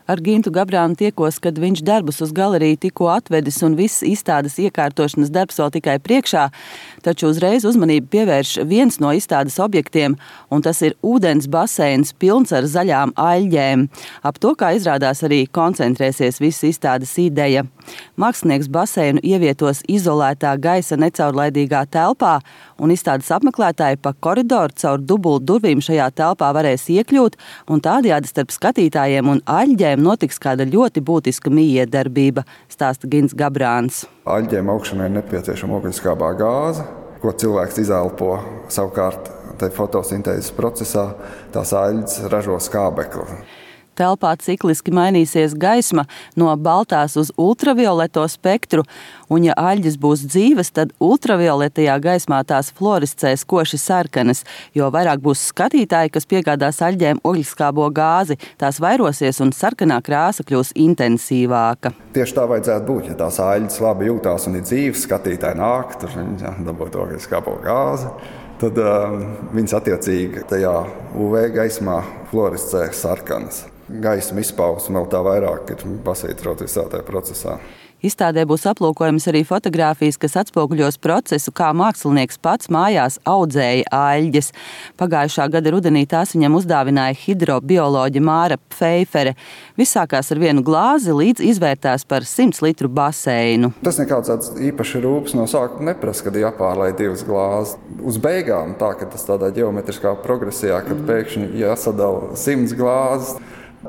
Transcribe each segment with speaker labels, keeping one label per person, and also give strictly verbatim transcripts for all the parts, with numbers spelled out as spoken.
Speaker 1: Ar Gintu Gabrānu tiekos, kad viņš darbus uz galeriju tikko atvedis un viss izstādes iekārtošanas darbs vēl tikai priekšā, taču uzreiz uzmanību pievērš viens no izstādes objektiem, un tas ir ūdens baseins pilns ar zaļām aļģēm. Ap to, kā izrādās, arī koncentrēsies visa izstādes ideja. Mākslinieks baseinu ievietos izolētā gaisa necaurlaidīgā telpā, un izstādes apmeklētāji pa koridoru caur dubult durvīm šajā telpā varēs iekļūt, un tādējādi starp skatītājiem un aļģēm notiks kāda ļoti būtiska mijiedarbība, stāsta Gints Gabrāns.
Speaker 2: Aļģēm augšanai ir nepieciešama ogliskābā gāze, ko cilvēks izelpo. Savukārt, te fotosintēzes procesā tās aļģes ražo skābekli.
Speaker 1: Telpā cikliski mainīsies gaisma no baltās uz ultravioleto spektru, un ja aļģes būs dzīves, tad ultravioletajā gaismā tās fluorescēs koši sarkanas, jo vairāk būs skatītāji, kas piegādās aļģēm ogliskābo gāzi, tās vairosies un sarkanā krāsa kļūs intensīvāka.
Speaker 2: Tieši tā vajadzētu būt, ja tās aļģes labi jūtās un ir dzīves, skatītāji nāk, tur viņi dabūt ogliskābo gāzi. Tad uh, viņas attiecīgi tajā U V gaismā fluorescē sarkanas. Gaisma izpausme vēl tā vairāk ir pasvītrota visā tajā procesā.
Speaker 1: Izstādē būs aplūkojams arī fotogrāfijas, kas atspoguļos procesu, kā mākslinieks pats mājās audzēja aļģes. Pagājušā gada rudenī tās viņam uzdāvināja hidrobioloģe Māra Pfeifere. Viss sākās ar vienu glāzi, līdz izvērtās par simts litru baseinu.
Speaker 2: Tas nekāds tāds īpaši rūpes no sākuma neprasa, kad jāpārlai divas glāzes. Uz beigām tā, ka tas tādā ģeometriskā progresijā, kad pēkšņi jāsadala simts glāzes,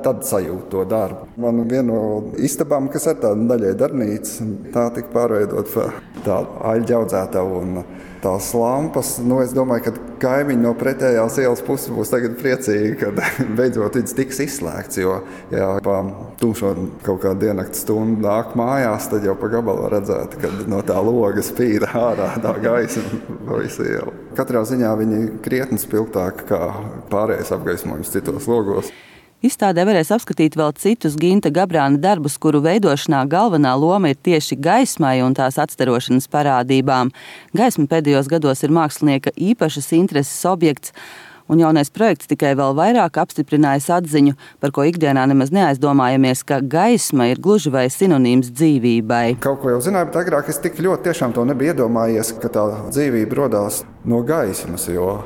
Speaker 2: tad sajūt to darbu. Man viena no istabām, kas ir tāda daļai darbnīca, tā tika pārveidot par tādu aļģu audzētavu un tās lampas. Nu, es domāju, ka kaimiņi no pretējās ielas puses būs tagad priecīgi, kad beidzot vids tiks izslēgts, jo, ja pa tumšo kaut kādu diennakti stundu nāk mājās, tad jau pa gabalu redzēt, kad no tā loga spīda ārā tā gaisma pa visu ielu. Katrā ziņā viņi krietni spilgtāki kā pārējais apgaismojums citos logos.
Speaker 1: Izstādē varēs apskatīt vēl citus Ginta Gabrāna darbus, kuru veidošanā galvenā loma ir tieši gaismai un tās atstarošanas parādībām. Gaisma pēdējos gados ir mākslinieka īpašas intereses objekts, un jaunais projekts tikai vēl vairāk apstiprinājis atziņu, par ko ikdienā nemaz neaizdomājamies, ka gaisma ir gluži vai sinonīms dzīvībai.
Speaker 2: Kaut ko jau zināju, bet agrāk es tik ļoti tiešām to nebiju iedomājies, ka tā dzīvība rodās no gaismas, jo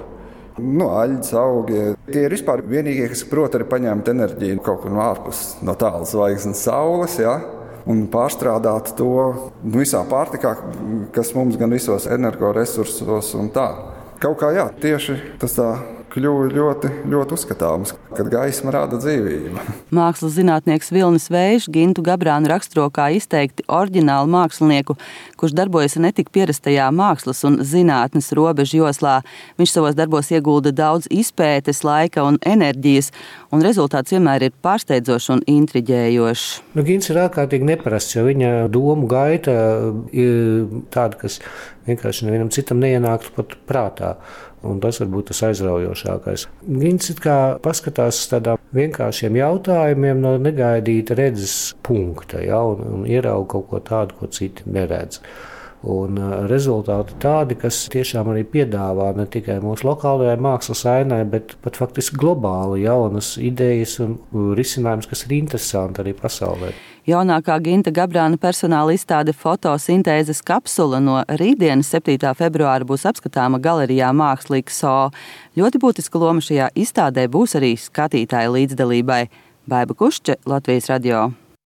Speaker 2: no aļģes augi. Tie ir vispār vienīgie, kas prot arī paņemt enerģiju kaut kur no ārpus, no tālas zvaigznes saules, ja? Un pārstrādāt to visā pārtikā, kas mums gan visos energoresursos un tā. Kaut kā jā, tieši tas tā kļuva ļoti, ļoti uzskatāms, kad gaisma rada dzīvību.
Speaker 1: Mākslas zinātnieks Vilnis Vējš Gintu Gabrānu raksturo kā izteikti oriģinālu mākslinieku, kurš darbojas ne tik pierastajā mākslas un zinātnes robežu joslā. Viņš savos darbos iegulda daudz izpētes, laika un enerģijas, un rezultāts vienmēr ir pārsteidzošs un intriģējošs.
Speaker 3: Nu, Gints ir ārkārtīgi neparasts, jo viņa domu gaita ir tāda, kas vienkārši nevienam citam neienāktu pat prātā. Un tas varbūt tas aizraujošākais. Gints it kā paskatās tādām vienkāršiem jautājumiem no negaidīta redzes punkta, ja, un, un ierauga kaut ko tādu, ko citi neredz. Un rezultāti tādi, kas tiešām arī piedāvā ne tikai mūsu lokālajai mākslas ainai, bet pat faktiski globāli jaunas idejas un risinājums, kas ir interesanti arī pasaulē.
Speaker 1: Jaunākā Ginta Gabrāna personāla izstāde fotosintēzes kapsula no rītdienas septītā februāra būs apskatāma galerijā Mākslīgs So. Ļoti būtiska loma šajā izstādē būs arī skatītāja līdzdalībai. Baiba Kušče, Latvijas radio.